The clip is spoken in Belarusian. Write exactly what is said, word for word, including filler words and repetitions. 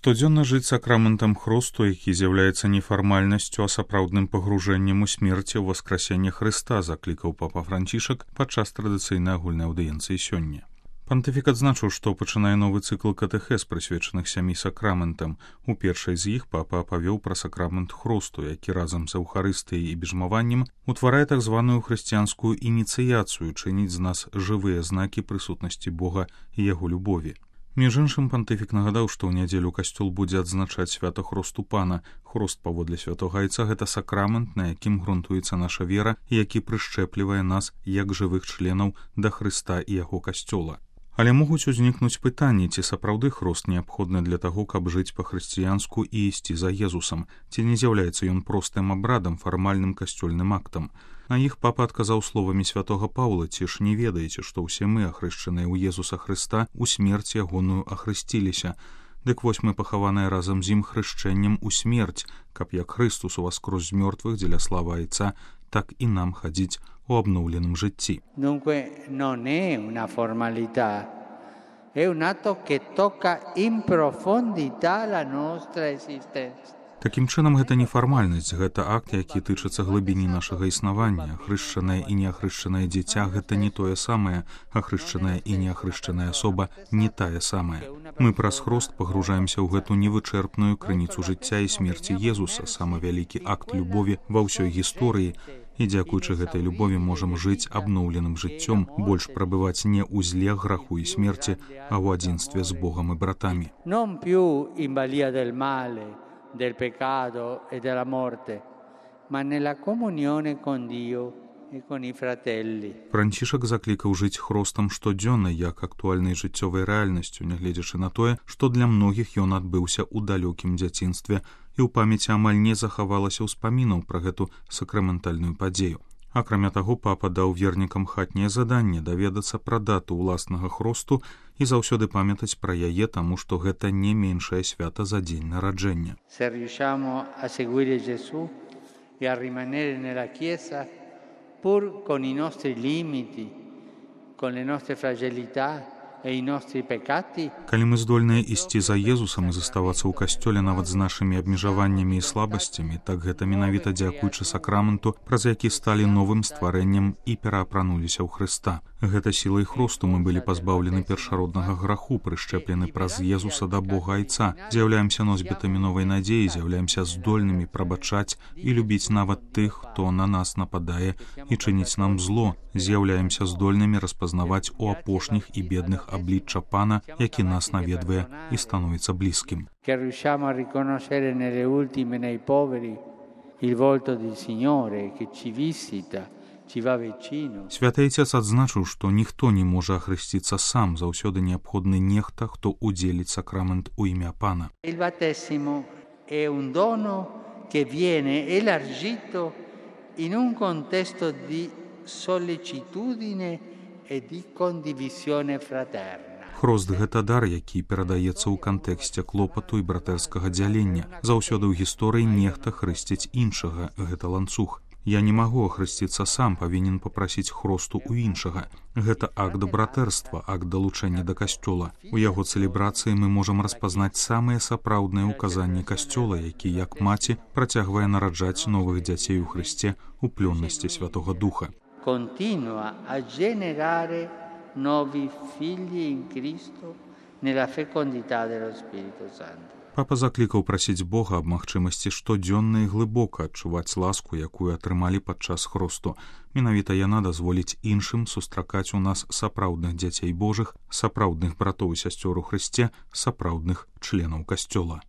Штодзённа жыць сакраментам хросту, які з'яўляецца не фармальнасцю, а сапраўдным пагружэннем у смерці ў васкрасенне Хрыста, заклікаў папа Францішак падчас традыцыйнай агульнай аўдыенцыі сёння. Пантыфік адзначыў, што пачынае новы цыкл катэхез, прысвечаных сямі сакраментам. У першай з іх папа апавёў пра сакрамент хросту, які разам з эўхарыстыяй і бежмаваннем утварае так званую хрысціянскую ініцыяцыю, чыніць з нас жывыя знакі прысутнасці Бога і яго любові. Між іншым, пантыфік нагадаў, што ў нядзелю касцёл будзе адзначаць свята хросту Пана. Хрост паводле святога Айца — гэта сакрамент, на якім грунтуецца наша вера, і які прышчэплівае нас як жывых членаў да Хрыста і яго касцёла. Але могуць узнікнуць пытанні, ці сапраўды хрост неабходны для таго, каб жыць па-хрысціянску і ісці за Езусам, ці не з'яўляецца ён простым абрадам, фармальным касцёльным актам. На іх папа адказаў словамі святога Паўла: «Ці ж не ведаеце, што ўсе мы, ахрышчаныя ў Езуса Хрыста, у смерць ягоную ахрысціліся? Дык вось мы пахаваныя разам з ім хрышчэннем у смерць, каб як Христус уваскрозь з мёртвых дзеля славы Айца, так і нам хадзіць у абноўленым жыцці». Dunque non è una formalità, è un atto che tocca in profondità la nostra esistenza. Такім чынам, гэта не фармальнасць, гэта акт, які тычыцца глыбіні нашага існавання. Хрышчанае і неахрышчанае дзіця — гэта не тое самае, ахрышчаная і неахрышчаная асоба не тая самая. Мы праз хрост пагружаемся ў гэту невычэрпную крыніцу жыцця і смерці Езуса, самы вялікі акт любові ва ўсёй гісторыі. І дзякуючы гэтай любові можам жыць абноўленым жыццём, больш прабываць не ў зле, граху і смерці, а ў адзінстве з Богам і братамі. Non più in balia del male, del peccato e della morte, ma nella comunione con Dio e con i fratelli. Францішак заклікаў жыць хростам штодзённа як актуальнай жыццёвай рэальнасцю, нягледзячы на тое, што для многіх ён адбыўся ў далёкім дзяцінстве, і ў памяці амаль не захавалася ўспамінаў пра гэту сакраментальную падзею. Акрамя таго, папа даў вернікам хатняе заданне даведацца пра дату ўласнага хросту і заўсёды памятаць пра яе, таму што гэта не меншае свята за дзень нараджэння. Se riusciamo a seguire Gesù e a rimanere nella Chiesa pur con i nostri limiti, con le nostre fragilità e i nostri peccati. Калі мы здольныя ісці за Езусам і заставацца ў касцёле нават з нашымі абмежаваннямі і слабасцямі, так гэта менавіта дзякуючы сакраменту, праз які сталі новым стварэннем і пераапрануліся ў Хрыста. Гэта сілай хросту мы былі пазбаўлены першароднага граху, прышчэплены праз Езуса да Бога Айца, з'яўляемся носьбітамі новай надзеі, з'яўляемся здольнымі прабачаць і любіць нават тых, хто на нас нападае і чыніць нам зло, з'яўляемся здольнымі распазнаваць у апошніх і бедных аблічча Пана, які нас наведвае і становіцца блізкім. Che riusciamo a riconoscere nelle ultime, nei poveri, il volto del Signore che ci visita. Святы Айцец адзначыў, што ніхто не можа ахрысціцца сам, заўсёды неабходны нехта, хто удзеліць сакрамент у імя Пана. Il battesimo è un dono che viene elargito in un contesto di sollecitudine e di condivisione fraterna. Хрост — гэта дар, які перадаецца ў кантэксце клопату і братэрскага дзялення. Заўсёды ў гісторыі нехта хрысціць іншага, гэта ланцуг. Я не магу ахрысціцца сам, павінен папрасіць хросту ў іншага. Гэта акт братэрства, акт далучэння да касцёла. У яго цэлебрацыі мы можам распазнаць самыя сапраўдныя ўказанні касцёла, які, як маці, працягвае нараджаць новых дзяцей у Хрысце у плённасці Святога Духа. Continua a generare nuovi figli in Cristo nella fecondità dello Spirito Santo. Папа заклікаў прасіць Бога аб магчымасці штодзённа і глыбока адчуваць ласку, якую атрымалі падчас хросту. Менавіта яна дазволіць іншым сустракаць у нас сапраўдных дзяцей Божых, сапраўдных братоў і сясцёр у Хрысце, сапраўдных членаў касцёла.